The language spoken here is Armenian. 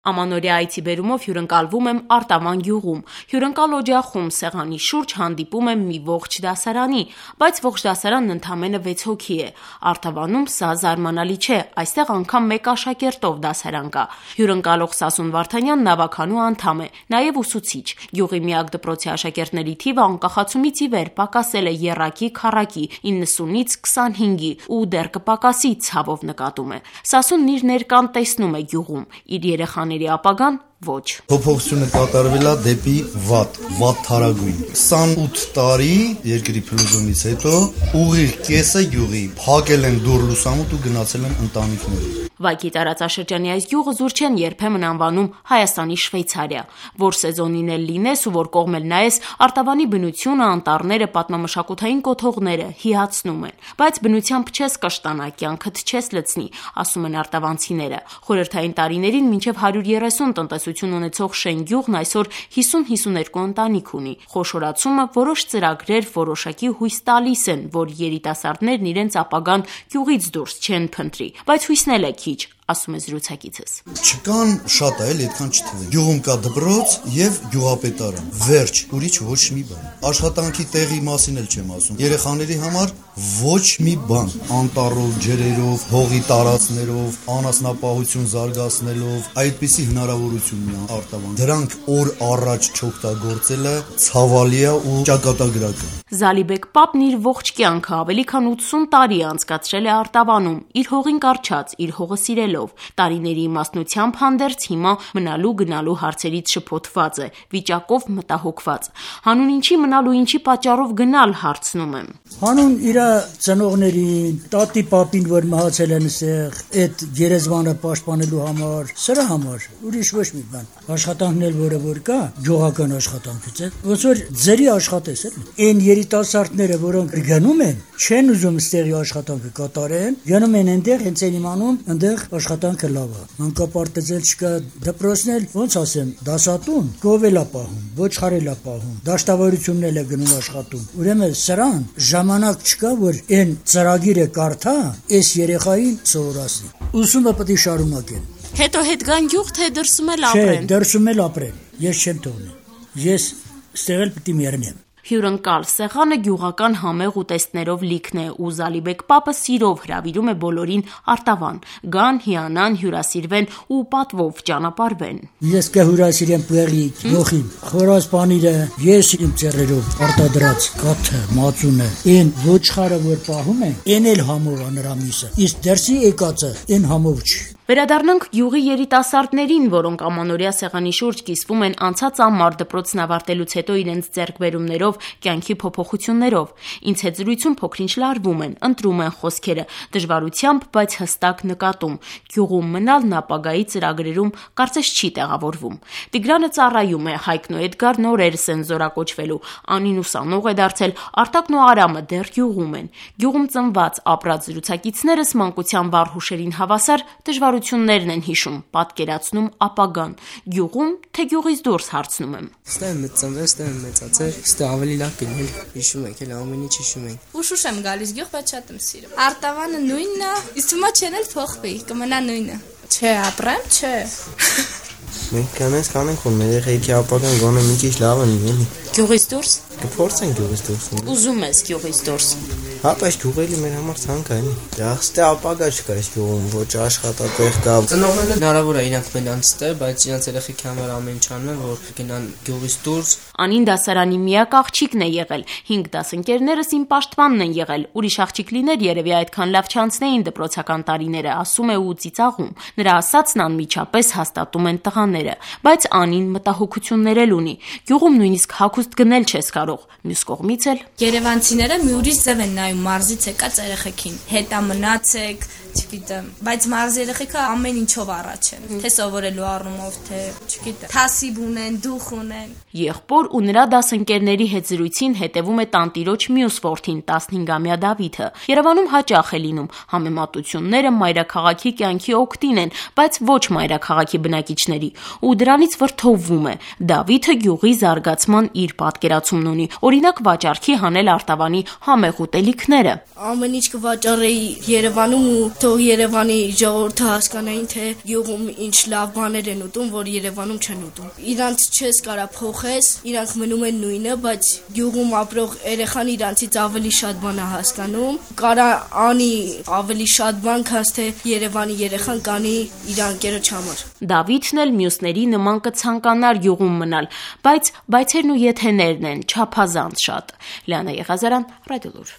Ամանորյա այցիբերումով հյուրընկալվում եմ Արտավան գյուղում, հյուրընկալ օջախում սեղանի շուրջ հանդիպում եմ մի ողջ դասարանի, բայց ողջ դասարանն ընդամենը 6 հոգի է, Արտավանում սա զարմանալի չէ, այստեղ անգամ մեկ աշակերտով դասարան կա, հյուրընկալող Սասուն Վարդանյան նավականու անդամ է, նաև ուսուցիչ, գյուղի միակ դպրոցի աշակերտների թիվը անկախացումից ի վեր պակասել է եռակի քառակի 90-ից 25-ի ու դեռ կպակասի ցավով նկատում է, Սասունն իր ներկան տեսնում է գյուղում, իր երեխաների ապագան ոչ։ Փոփոխությունը կատարվել է դեպի վատ թարագույն։ 28 տարի երկրի փլուզումից հետո ուղիղ կեսը գյուղի փակել են դուռ լուսամուտ ու գնացել են ընտանիքները։ Վայքի տարածաշրջանի այս գյուղը զուր չեն երբեմն անվանում Հայաստանի Շվեյցարիա, որ սեզոնին էլ լինես ու որ կողմ էլ նայես, Արտավանի բնությունը, անտառները, պատմամշակութային կոթողները հիացնում են, բայց բնությամբ չես կշտանա, կյանքդ չես լցնի, ասում են արտավանցիները։ Խորհրդային տարիներին մինչև 130 տնտեսություն ունեցող Շեն գյուղն այսօր 50-52 ընտանիք ունի։ Խոշորացումը որոշ ծրագրեր որոշակի հույս տալիս են, որ երիտասարդներն իրենց ապագան գյուղից դուրս չեն փնտրի, բայց հույսն էլ է քիչ, ասում է զրուցակիցս։ Չկան շատ այլ այդքան չթվեն։ Գյուղում կա դպրոց եւ գյուղապետարան։ Վերջ, ուրիշ ոչ մի բան։ Աշխատանքի տեղի մասին էլ չեմ ասում։ Երեխաների համար ոչ մի բան։ Անտառով, ջրերով, հողի տարածքներով, անասնապահություն զարգացնելով, այդպիսի հնարավորություն ունի Արտավան։ Դրանք օր առաջ չօգտագործելը ցավալի է ու ճակատագրական։ Զալիբեկ Պապն իր ողջ կյանքը ավելի քան 80 տարի անցկացրել է Արտավանում, իր հողին կառչած, իր հողը սիրելով, տարիների իմաստնությամբ հանդերձ հիմա մնալու գնալու հարցերից շփոթված է, վիճակով մտահոգված։ Հանուն ինչի մնալու ինչի պատճառով գնալ հարցնում եմ։ Հանուն իր ծնողներին, տատի պապին, որ մահացել են ասեղ, այդ գերեզմանը պաշտպանելու համար, սրա համար, ուրիշ ոչ մի բան։ Աշխատանքն էլ որ կա, գյուղական աշխատանքից է, ոնց որ ձերի աշխատես էլ։ Այն երիտասարդները, որոնք գնում են, չեն ուզում ստեղի աշխատանքը կատարեն, գնում են այնտեղ, հենց են իմանում, այնտեղ աշխատանքը լավ է։ Մանկապարտեզել չկա, դպրոցն էլ, ոնց ասեմ, դասատուն, գովել է պահում, ոչխարել է պահում, դաշտավարությունն էլ է գնում աշխատում։ Ուրեմն սրան ժամանակ չկա, որ այն ծրագիրը կարդա, այս երեխային սովորացնի։ Ուսումը պետք է շարունակեն։ Հետո հետ գան գյուղ, թե դրսում էլ ապրեն։ Չէ, դրսում էլ ապրեն։ Ես չեմ թողնի։ Ես ստեղ էլ պետք է մեռնեմ։ Հյուրընկալ սեղանը գյուղական համեղ ուտեստներով լիքն է ու Զալիբեկ Պապը սիրով հրավիրում է բոլորին Արտավան, գան, հիանան, հյուրասիրվեն ու պատվով ճանապարհվեն։ Ես կհյուրասիրեմ պեղիկ, գողին, խորաս պանիրը, ես իմ ծերերով արտադրած կաթը, մածունը, այն ոչխարը որ պահում են, այն էլ համով է նրա միսը, իսկ դերսի եկածը այն համով չի։ Վերադառնանք գյուղի երիտասարդներին, որոնք ամանորյա սեղանի շուրջ կիսվում են անցած ամառ դպրոցն ավարտելուց հետո իրենց ձեռքբերումներով, կյանքի փոփոխություններով։ Ինձ հետ զրույցում փոքրինչ լարվում են, ընտրում են խոսքերը, դժվարությամբ, բայց հստակ նկատում։ Գյուղում մնալն ապագայի ծրագրերում կարծես չի տեղավորվում։ Տիգրանը ծառայում է, Հայկն ու Էդգարն օրերս են զորակոչվելու, Անին ուսանող է դարձել, Արտակն ու Արամը դեռ գյուղում են։ Գյուղում ծնված ապրած զրուցակիցներս մանկության վառ հուշերին հավասար դժվարություններն են հիշում, պատկերացնում ապագան։ Գյուղում, թե գյուղից դուրս հարցնում եմ։ Ստեղ ծնվել, ստեղ մեծացել, ստեղ ավելի լավ գնել, հիշում եք, էլ ամեն ինչ հիշում ենք։ Ուշուշ եմ գալիս գյուղ, բայց շատ եմ սիրում։ Արտավանը նույնն է, իսկ հիմա չեն էլ փոխվի, կմնա նույնը։ Չէ, ապրեմ, չէ։ Մենք կանենք, որ մեր երեխեքի ապագան գոնե մի քիչ լավ լինի։ Գյուղից դուրս։ Կփորձենք գյուղից դուրս։ Ուզում ես գյուղից դուրս։ Հա, բայց գյուղերի մեր համար ցանկ է, էլի։ Դե ապագա չկա այս գյուղում, ոչ աշխատատեղ կա։ Ծնողները հնարավոր է իրանք մնան ստե, բայց իրանք երեխեքի համար ամեն ինչ անում են, որ գնան գյուղից դուրս։ Անին դասարանի միակ աղջիկն է եղել, 5 դասընկերներս իմ պաշտպանն են եղել, ուրիշ աղջիկ լիներ երևի այդքան լավ չանցնեին դպրոցական տարիները, ասում է ու ծիծաղում։ Նրա ասածն անմիջապես հաստատում են տղաները, բայց Անին մտահոգություններ էլ ունի։ Գյուղում նույնիսկ հագուստ գնել չես կարող, մյուս կողմից էլ Երևանցիները մի ուրիշ ձև են նայում մարզից եկած երեխեքին, հետա մնացեք, չգիտեմ, բայց մարզի երեխեքը ամեն ինչով առաջ են, թե սովորելու առումով, թե չգիտեմ, թասիբ ունեն, դուխ ունեն։ Եղբոր ու նրա դասընկերների հետ զրույցին հետևում է տանտիրոջ մյուս որդին 15-ամյա Դավիթը։ Երևանում հաճախ է լինում, համեմատությունները մայրաքաղաքի կյանքի օգտին են, բայց ոչ մայրաքաղաքի բնակիչների, ու դրանից վրդովվում է։ Դավիթը գյուղի զարգացման իր պատկերացումն ունի, օրինակ վաճառքի հանել Արտավանի համեղ ուտելիք կարիքները։ Ամեն ինչ կվաճառեի Երևանում ու թող Երևանի ժողովուրդը հասկանային, թե գյուղում ինչ լավ բաներ են ուտում, որ Երևանում չեն ուտում։ Իրանց չես կարա փոխես, իրանք մնում են նույնը, բայց գյուղում ապրող երեխան իրանցից ավելի շատ բան է հասկանում։ Կարա անի ավելի շատ բան, քան թե Երևանի երեխան կանի իր անկերոջ համար։ Դավիթն էլ մյուսների նման կցանկանար գյուղում մնալ, բայց բայցերն ու եթեներն են չափազանց շատ։ Լիանա Եղազարյան, Ռադիոլուր։